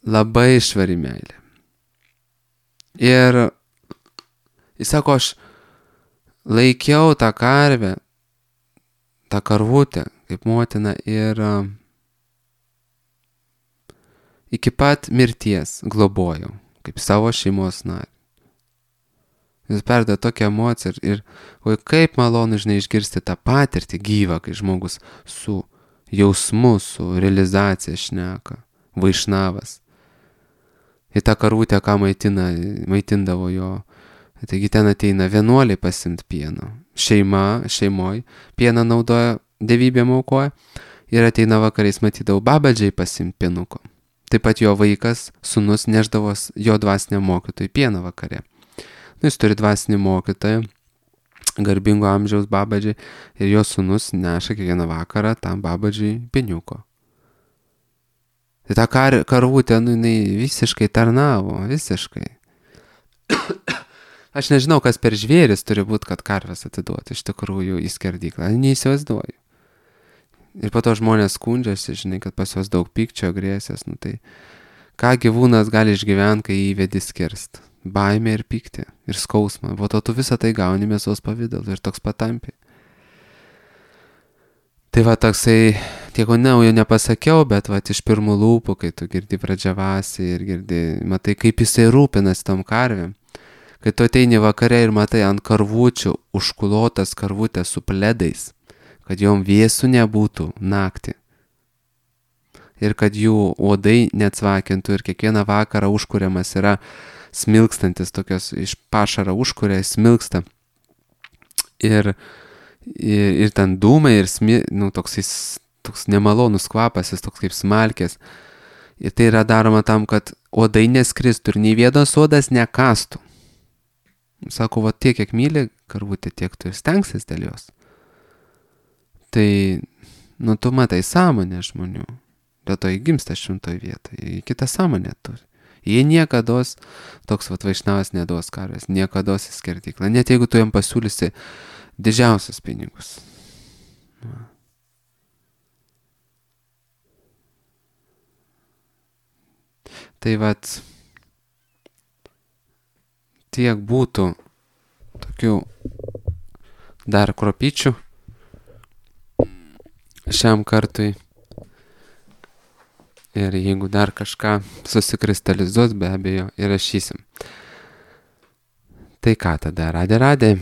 labai švari meilė. Ir jis sako, aš laikiau tą karvę, tą karvutę kaip motina ir iki pat mirties globojau, kaip savo šeimos narį. Jis perdė tokią emociją ir, ir oi, kaip malonu, žinai, išgirsti tą patirtį gyvą, kai žmogus su jausmu, su realizacija šneka, vaišnavas. Į tą karvutę, ką maitina, maitindavo jo. Taigi ten ateina vienuoliai pasimt pieno. Šeima, šeimoj, pieną naudoja, dievybėm aukoja. Ir ateina vakariais, matydavau, babadžiai pasimt pienuko. Taip pat jo vaikas, sūnus, neždavos jo dvasiniam mokytojui pieną vakare. Nu, jis turi dvasinį mokytoją, garbingo amžiaus babadžiai, ir jo sūnus neša kiekvieną vakarą tam babadžiai pieniuko. Tai ta kar, karvutė, nu, jinai visiškai tarnavo, visiškai. Aš nežinau, kas per žvėris turi būti, kad karves atiduoti iš tikrųjų į skerdyklą. Neįsivaizduoju. Ir po to žmonės skundžiasi, žinai, kad pas juos daug pykčio, agresijos. Nu, tai ką gyvūnas gali išgyventi, kai įvedi skirst? Baimė ir pyktį, ir skausmą. Po to tu visą tai gauni mėsos pavidalų ir toks patampi. Tai va toksai, tieko naujo nepasakiau, bet va iš pirmų lūpų, kai tu girdi pradžiavasi ir girdi, matai, kaip jisai rūpinasi tom karvėm. Kai tu ateini vakare ir matai ant karvučių užkulotas karvutės su pledais, kad jom vėsų nebūtų naktį. Ir kad jų uodai neatsvakintų ir kiekvieną vakarą užkuriamas yra smilkstantis, tokios iš pašaro užkuria, smilksta. Ir, ir, ir ten dūmai ir smi, nu, toks, jis, toks nemalonus kvapas, jis toks kaip smalkės. Ir tai yra daroma tam, kad uodai neskristų ir nei vienas uodas nekastų. Sako, va tiek, kiek myli karvutė, tiek tu ir stengsis dėl jos. Tai, nu, tu matai sąmonę žmonių. Dėl to įgimsta šimtoj vietoje. Jie kitą sąmonę turi. Jie niekados, toks vat vaišnavas neduos karvės, niekados į skerdyklą. Net jeigu tu jam pasiūlysi didžiausius pinigus. Va. Tai vat tiek būtų tokių dar kropyčių šiam kartui. Ir jeigu dar kažką susikristalizuos, be abejo, įrašysim. Tai ką tada, radė, radė.